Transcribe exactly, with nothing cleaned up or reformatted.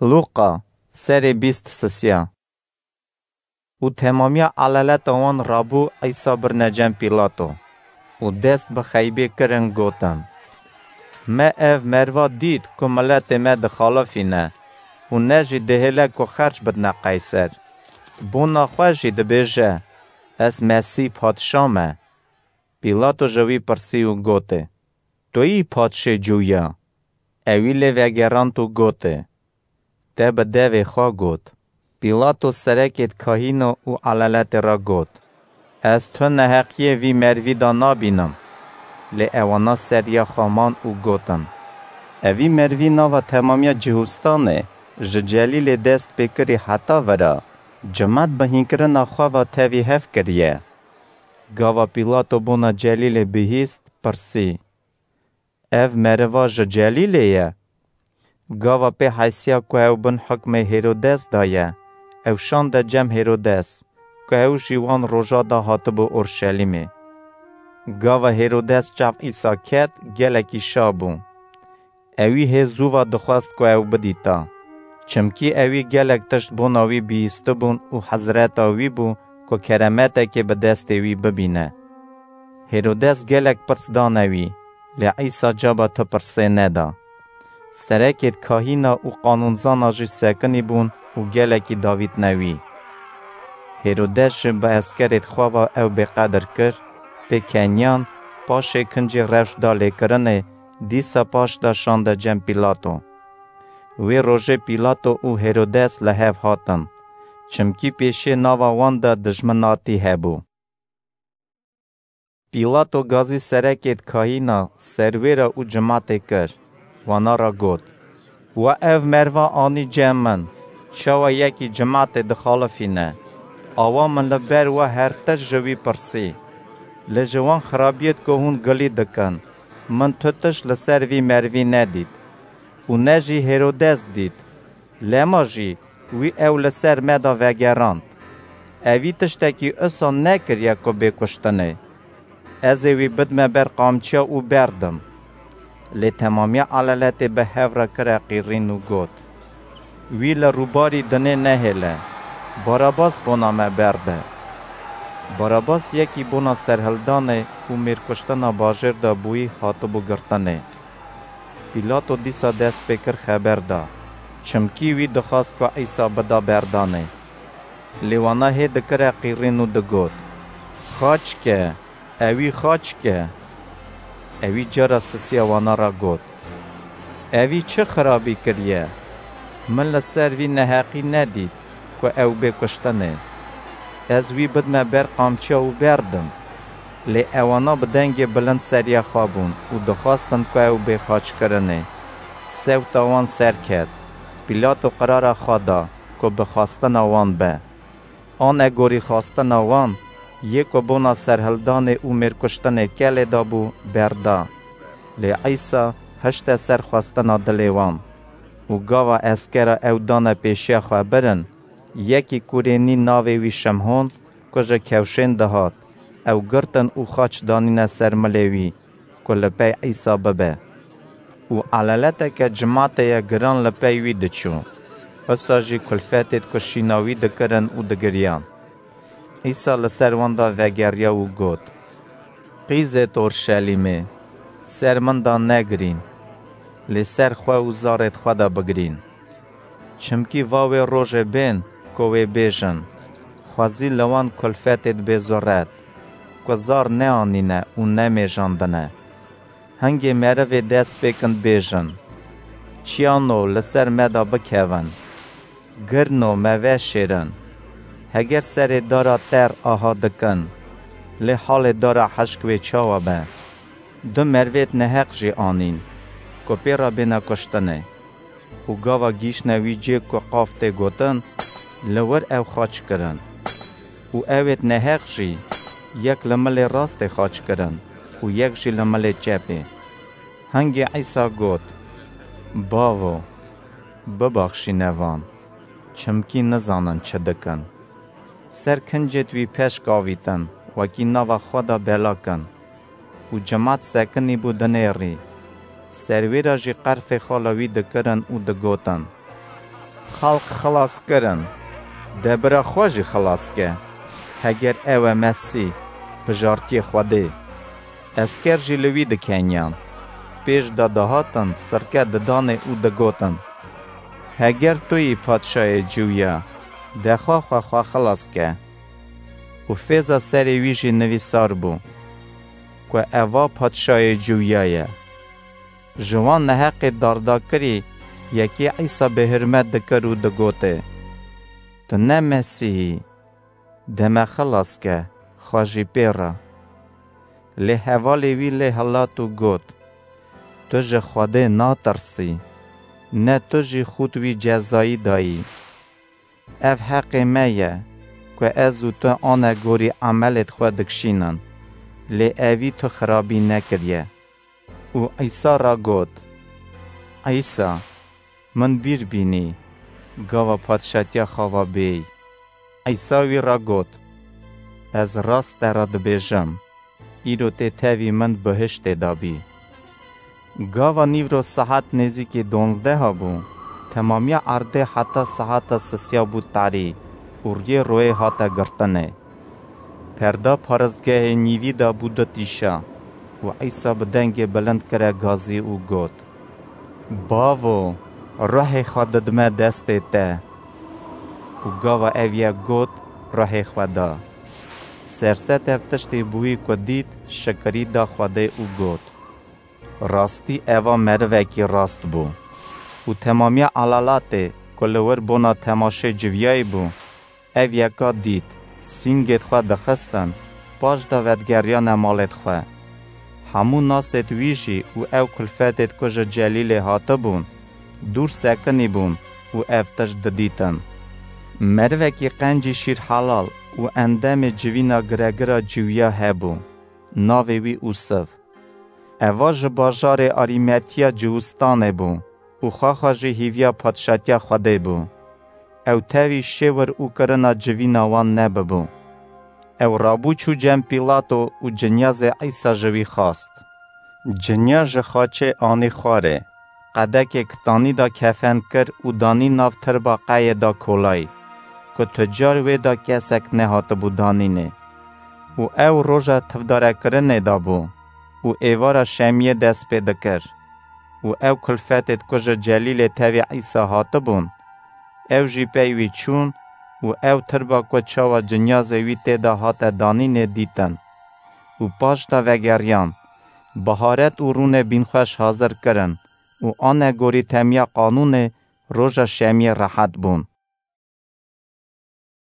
Lûqa, serê bîst sisiya. Û temamiya elaleta wan rabû, Îsa birine cem Pîlato. Û dest bi xeybê kirin, gotin, "Me ev merva dît ku miletê me dixalifîne û ne jî dihêle ku xerc bidine Qeyser. Bona xwe jî dibêje, 'Ez Mesîh padşa me.'" Pîlato ji wî pirsî û gotê, "Tu yî padşê Cûya?" Ewî lê vegerand û gotê, "Te bi devê xwe got." Pîlato serekêd kahîna û elaletê re got, "Ez tu neheqiyê vî mervî de nabînim." Lê ewana seriya xwe man û gotin, "Evî mervî nava temamiya Cihûstanê ji Celîlê dest pê kirî heta vira, cimat bi hînkirina xwe ve tevî hev kiriye." Gava Pîlato bona Celîlê bihîst, pirsî, "Ev meriva ji Celîlê ye?" Gava pê heysiya ku ew bin hukmê Hêrodes de ye, ew şande cem Hêrodes, ku ew jî wan roja de hatibû Orşelîmê. Gava Hêrodes çav Îsa ket, gelekî şa bû. Ewî hê zû ve dixwest ku ew bidîta, çimkî ewî gelek tişt bona wî bihîstibûn û hezreta wî bû ku keremetekê bi destê wî bibîne. Hêrodes gelek pirs dane wî, lê Îsa caba tu pirsê neda. Serekêd kahîna û qanûnzana jî sekinî bûn û gelekî davîtine wî. Hêrodes jî bi eskerêd xwe ve ew bêqedir kir, pê keniyan, paşê kincê rewş da lêkirinê, dîsa paş de şande cem Pîlato. Wê rojê Pîlato û Hêrodes li hev hatin, çimkî pêşê nava wan de dijminatî hebû. Pîlato gazî serekêd kahîna, serwêra û cimatê kir, wana re got, "We ev merva anî cem min, çawa yekî cimatê dixalifîne? Awa min li ber we her tişt ji wî pirsî. Lê ji wan xirabiyêd ku hûn gilî dikin, min tu tişt li ser vî mervî nedît û ne jî Hêrodes dît. Lema jî wî ew li ser me de vegerand. Evî tiştekî usa nekiriye ku bê kuştinê. Ez ê wî bidme ber qamçiya û berdim." Lê temamiya elaletê bi hev re kire qîrîn û got, "Wî li rûbarî dinê nehêle, Barabas bona me berde." Barabas yekî bona serhildanê û mêrkuştina bajêr de bûyî hatibû girtinê. Pîlato dîsa dest pê kir xeber da, çimkî wî dixwast ku Îsa bida berdanê. Lê wana hê dikire qîrîn û digot, "Xaç ke, ewî xaç ke." Ewî cara sisiya wana re got, "Evî çi xirabî kiriye? Min li ser vî neheqî nedît ku ew bê kuştinê. Ez wî bidme ber qamçiya û berdim." Lê ewana bi dengê bilind seriya xwe bûn û dixwestin ku ew bê xaçkirinê. Sewta wan serket. Pîlato qirara xwe da ku bi xwestina wan be. Anegorî xwestina wan, yê ku bona serhildanê û mêrkuştinê kelê dabû, berda. Lê Îsa hişte ser xwestina dilê wan. Û gava eskera ew dane pêşiya xwe birin, yekî Kurênî, navê wî Şimhon, ku ji kewşên dihat, ew girtin û xaç danîne ser milê wî, ku li pey Îsa bibe. Û elaleteke cimatê ye giran li pey wî diçû. Usa jî kulfetêd ku şîna wî dikirin û digiriyan. Îsa li ser wan de vegeriya û got, "Qîzêd Orşelîmê, ser min de negirîn, lê ser xwe û zarêd xwe de bigirîn. Çimkî va wê rojê bên ku wê bêjin, xwezî li wan kulfetêd bê zuret, ku zar neanîne û nemêjandine. Hingê merivê dest pê kin bêjin, 'Çiyano li ser me de bikevin, girno me veşêrin.' Heger serê dara ter aha dikin, lê halê dara hişk wê çawa be? Du merivêd neheq jî anîn, ku pê re bêne kuştinê." Û gava gihîştine wî cihê ku qaf tê gotin, li wir ew xaç kirin. Û ewêd neheq jî, yek li milê rastê xaç kirin û yek jî li milê çepê. Hingê Îsa got, "Bavo, bibaxşîne van, çimkî nizanin çi dikin." Ser kincêd wî peşk avîtin, wekî nava xwe de bela kin. Û cimat sekinî bû dinêrî. Serwêra jî qerfê xala wî dikirin û digotin, Xelq xilas kirin, de bira xwe jî xilas ke. Heger ew e Mesîh, bijartiyê Xwedê. Esker jî li wî dikeniyan. Pêş de dihatin sirke didanê û digotin, Heger tu yî padşayê Ciwya, de xwe xwe xwe xilas ke. Û fêza serê wî jî nivîsar bû, ku eva padşayê Ciwya ye. Ji wan neheqê dardakirî yekî Îsa bêhurmet dikir û digotê, Tu ne Mesîh î, de me xilas ke, xwe jî pê re. Lê hevalê wî lê hilat û got, Tu ji Xwedê natirsî, ne tu jî xût wî cezayî dayî. Ev heqê me ye, ku ez û tu anegorî emelêd xwe dikşînin, lê evî tu xirabî nekiriye. Û Îsa re got, Îsa, min bîr bînî, gava padşatiya xwe ve bêyî. Îsa wî re got, Ez rast te re dibêjim, îro tê tevî min bihiştê de bî. Gava nîvro saet nêzîkî donzdeha bû, temamiya erdê heta saeta sisiya bû tarî û riyê royê hate girtinê. Perda paristgehê nîvî de bû du tîşa û Îsa bi dengê bilind kire gazî û got, Bavo, ruhê xwe didime destê te. Û gava ev yek got, ruhê xwe da. Serset ev tiştê bûyî ku dît, şikirî da Xwedê û got, Rastî eva merivekî rast bû. Û temamiya elalatê ku li wir bona temaşê civiyayî bû, ev yeka dît, sîngêd xwe dixistin, paş de vedigeriyane malêd xwe. Hemû nasêd wî jî û ew kulfetêd ku ji Celîlê hatibûn, dûr sekinî bûn û ev tişt didîtin. Merivekî qencî şîrhelal û endemê civîna giregira ciwiya hebû, navê wî Ûsiv. Eva ji bajarê Arîmetiya Ciwistanê bû û xwexa jî hîviya padşatiya Xwedê bû. Ew tevî şêwir û kirina civîna wan nebibû. Ew rabû çû cem Pîlato û cinyazê Îsa ji wî xwast. Cinya ji xaçê anî xwarê, qedekê kitanî de kefen kir û danî nav tirba qeyê de kolayî, ku tu car wê de kesek nehatibû danînê. Û ew roja tivdarekirinê de bû û êvara şemiyê dest pê dikir. Û ew kulfetêd ku ji Celîlê tevî Îsa hatibûn, ew jî pey wî çûn û ew tirba ku çawa cinyazê wî tê de hate danînê dîtin. Û paş de vegeriyan, biharet û rûnê bînxweş hazir kirin û anegorî temiya qanûnê roja şemiyê rehet bûn.